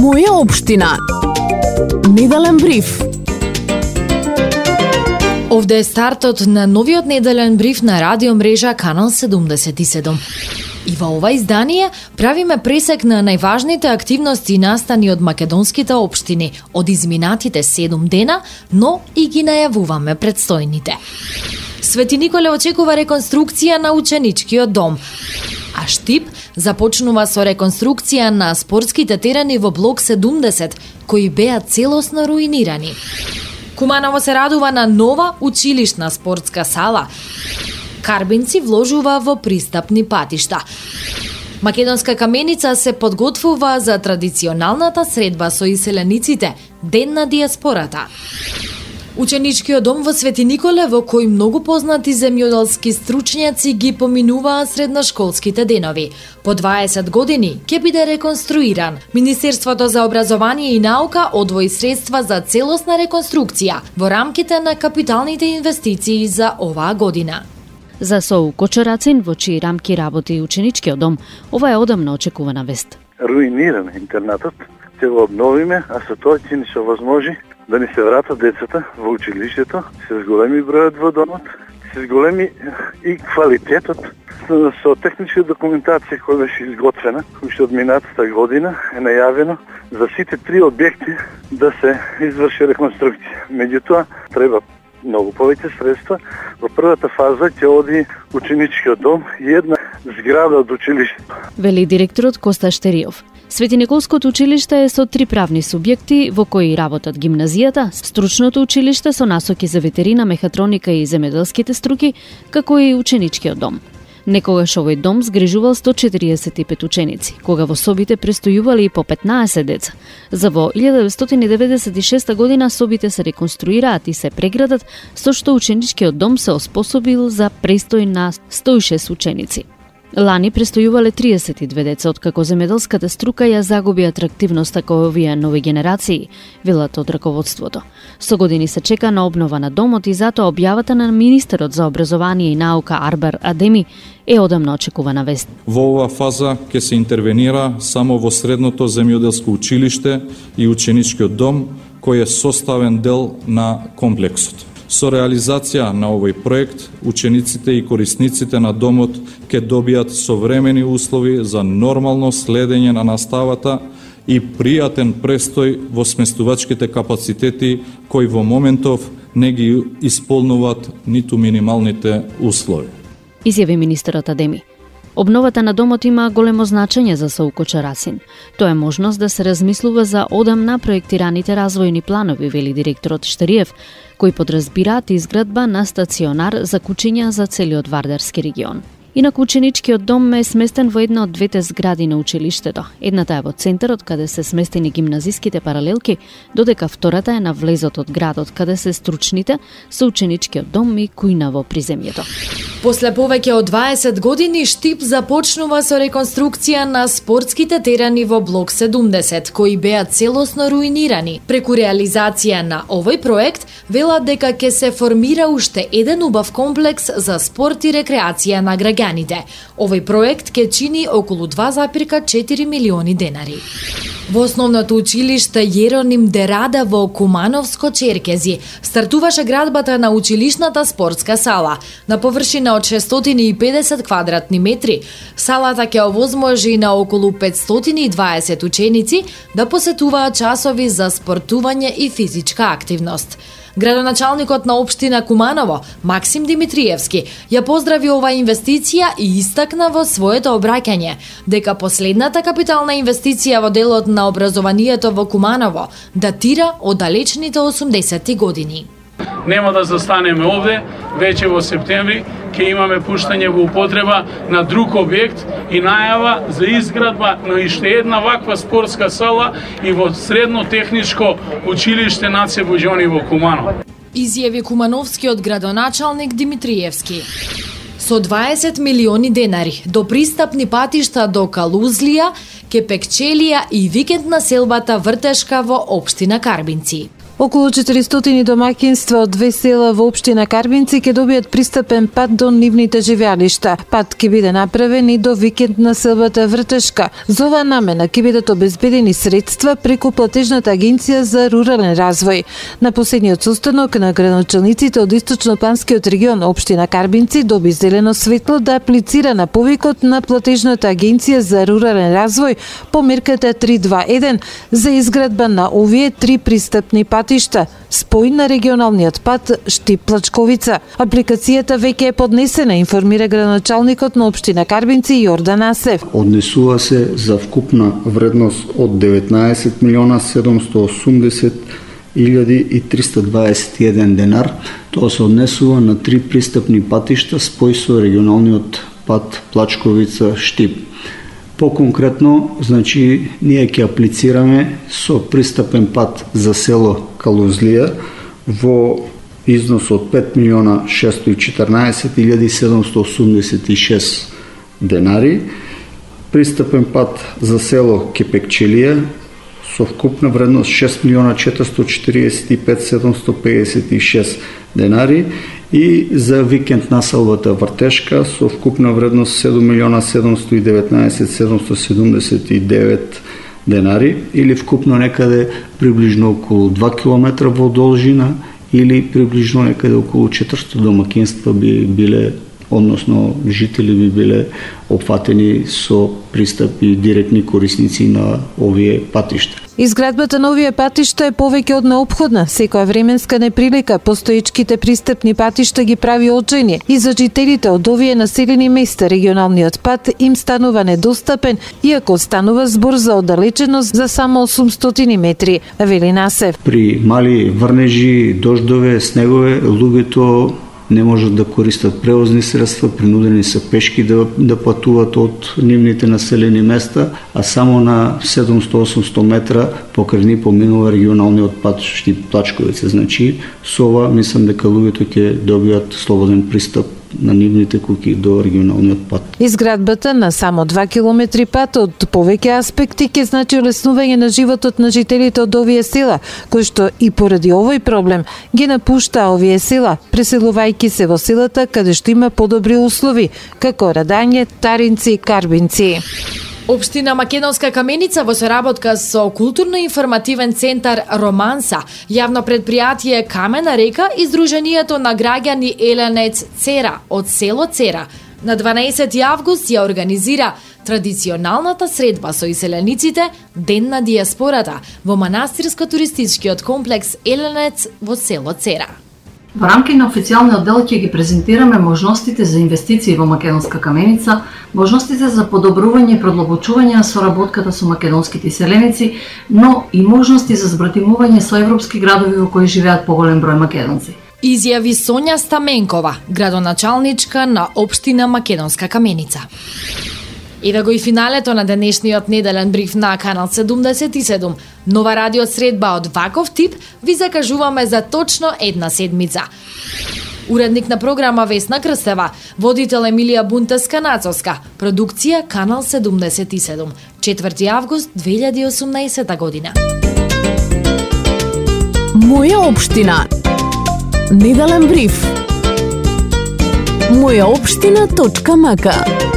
Моја општина. Неделен бриф. Овде е стартот на новиот неделен бриф на радио мрежа Канал 77. И во ова издание правиме пресек на најважните активности и настани од македонските општини од изминатите 7 дена, но и ги најавуваме предстојните. Свети Николе очекува реконструкција на ученичкиот дом, а Штип започнува со реконструкција на спортските терени во блок 70, кои беа целосно руинирани. Куманово се радува на нова училишна спортска сала. Карбинци вложува во пристапни патишта. Македонска каменица се подготвува за традиционалната средба со иселениците, Ден на диаспората. Ученичкиот дом во Свети Николе, во кој многу познати земјоделски стручњаци ги поминуваа средношколските денови. По 20 години ќе биде реконструиран. Министерството за образование и наука одвои средства за целосна реконструкција во рамките на капиталните инвестиции за оваа година. За СОУ Кочорацин, во чии рамки работи ученичкиот дом, ова е одамна очекувана вест. Руиниран интернатот, ќе го обновиме, а со тоа ќе ни се овозможи да ни се вратат децата во училиштето, се зголеми бројот во домот, се зголеми и квалитетот со техничка документација која беше изготвена, уште од минатата година е најавено за сите 3 објекти да се изврши реконструкција. Меѓутоа, треба многу повеќе средства. Во првата фаза ќе оди ученичкиот дом и една зграда од училиштето. Вели директорот Коста Штериов. Свети Николското училиште е со 3 правни субјекти во кои работат гимназијата, стручното училиште со насоки за ветерина, мехатроника и земјоделските струки, како и ученичкиот дом. Некогаш овој дом згрижувал 145 ученици, кога во собите престојували по 15 деца. За во 1996 година собите се реконструираат и се преградат, со што ученичкиот дом се оспособил за престој на 106 ученици. Лани престојувале 32 деца, откако земјоделската струка ја загуби атрактивноста кај овие нови генерации, велат од раководството. Со години се чека на обнова на домот и затоа објавата на министерот за образование и наука Арбар Адеми е одамна очекувана вест. Во оваа фаза ќе се интервенира само во средното земјоделско училиште и ученичкиот дом, кој е составен дел на комплексот. Со реализација на овој проект, учениците и корисниците на домот ќе добијат современи услови за нормално следење на наставата и пријатен престој во сместувачките капацитети кои во моментов не ги исполнуваат ниту минималните услови. Изјави министерот Адеми. Обновата на домот има големо значење за СОУ Кочорацин. Тоа е можност да се размислува за одамна проектираните развојни планови, вели директорот Штериев, кои подразбираат изградба на стационар за кучиња за целиот Вардарски регион. Инаку ученичкиот дом е сместен во една од двете згради на училиштето. Едната е во центарот, каде се сместени гимназиските паралелки, додека втората е на влезот од градот, каде се стручните, со ученичкиот дом и кујна во приземјето. После повеќе од 20 години Штип започнува со реконструкција на спортските терени во блок 70, кои беа целосно руинирани. Преку реализација на овој проект, велат дека ќе се формира уште еден убав комплекс за спорт и рекреација на граѓаните. Овој проект ќе чини околу 2,4 милиони денари. Во основното училиште Јероним Дерада во Кумановско Черкези стартуваше градбата на училишната спортска сала. На површина од 650 квадратни метри, салата ќе овозможи на околу 520 ученици да посетуваат часови за спортување и физичка активност. Градоначалникот на општина Куманово, Максим Димитриевски, ја поздрави оваа инвестиција и истакна во своето обраќање дека последната капитална инвестиција во делот на образованието во Куманово датира од далечните 80-ти години. Нема да застанеме овде, веќе во септември ќе имаме пуштање во употреба на друг објект и најава за изградба на уште една ваква спортска сала и во средно техничко училиште Наце Боџони во Куманово. Изјави кумановскиот градоначалник Димитриевски. Со 20 милиони денари до пристапни патишта до Калузлија, Кепекчелија и викенд населбата Вртешка во општина Карбинци. Околу 400 домаќинства од 2 села во општина Карбинци ќе добијат пристапен пат до нивните живеалишта. Пат ќе биде направен и до викенд на селбата Вртешка. За оваа намена ќе бидат обезбедени средства преку платежната агенција за рурален развој. На последниот состанок на градоначалниците од Источно-планскиот регион општина Карбинци доби зелено светло да аплицира на повикот на платежната агенција за рурален развој по мерката 321 за изградба на овие 3 пристапни патишта, спој на регионалниот пат Штип-Плачковица. Апликацијата веќе е поднесена, информира градоначалникот на општина Карбинци Јордан Асев. Однесува се за вкупна вредност од 19.780.321 денар. Тоа се однесува на 3 пристапни патишта спој со регионалниот пат Плачковица-Штип. По-конкретно, значи, ние ќе аплицираме со пристапен пат за село Калузлија во износ од 5.614.786 денари, пристапен пат за село Кепекчелија со вкупна вредност 6.445.756 денари и за викенд населбата Вртешка со вкупна вредност 7.719.779 денари или вкупно некаде приближно околу 2 км во должина или приближно некаде околу 400 домакинства би биле, односно жители би биле опфатени со пристап и директни корисници на овие патишта. Изградбата на овие патишта е повеќе од неопходна. Секоја временска неприлика постоечките пристапни патишта ги прави очајни и за жителите од овие населени места регионалниот пат им станува недостапен, иако станува збор за оддалеченост за само 800 метри, вели Насев. При мали врнежи, дождове, снегове, луѓето не можат да користат превозни средства, принудени се пешки да патуват од нивните населени места, а само на 700-800 метра покрај ни поминува регионалниот пат Штип-Плачковица. Значи, со ова мислам дека луѓето ќе добијат слободен пристап на нивните куќи до регионалниот пат. Изградбата на само 2 километри пат од повеќе аспекти ќе значи олеснување на животот на жителите од овие села, кои што и поради овој проблем ги напушта овие села, преселувајќи се во селата каде што има подобри услови, како Радање, Таринци и Карбинци. Општина Македонска Каменица во соработка со културно-информативен центар Романса, јавно предпријатие Камена река и Сдруженијето на граѓани Еленец Цера од село Цера на 12 август ја организира традиционалната средба со иселениците Ден на дијаспората во манастирско-туристичкиот комплекс Еленец во село Цера. Во рамки на официјалниот дел ќе ги презентираме можностите за инвестиции во Македонска Каменица, можностите за подобрување и продлабочување на соработката со македонските иселеници, но и можности за збратимување со европски градови во кои живеат поголем број македонци. Изјави Сонја Стаменкова, градоначалничка на општина Македонска Каменица. Еве го и финалето на денешниот неделен бриф на Канал 77. Нова радио средба од ваков тип ви закажуваме за точно една седмица. Уредник на програма Весна Крстева, водител Емилија Бунтеска-Нацовска, продукција Канал 77, 4 август 2018 година. Моја општина. Неделен бриф. Мојаопштина.мк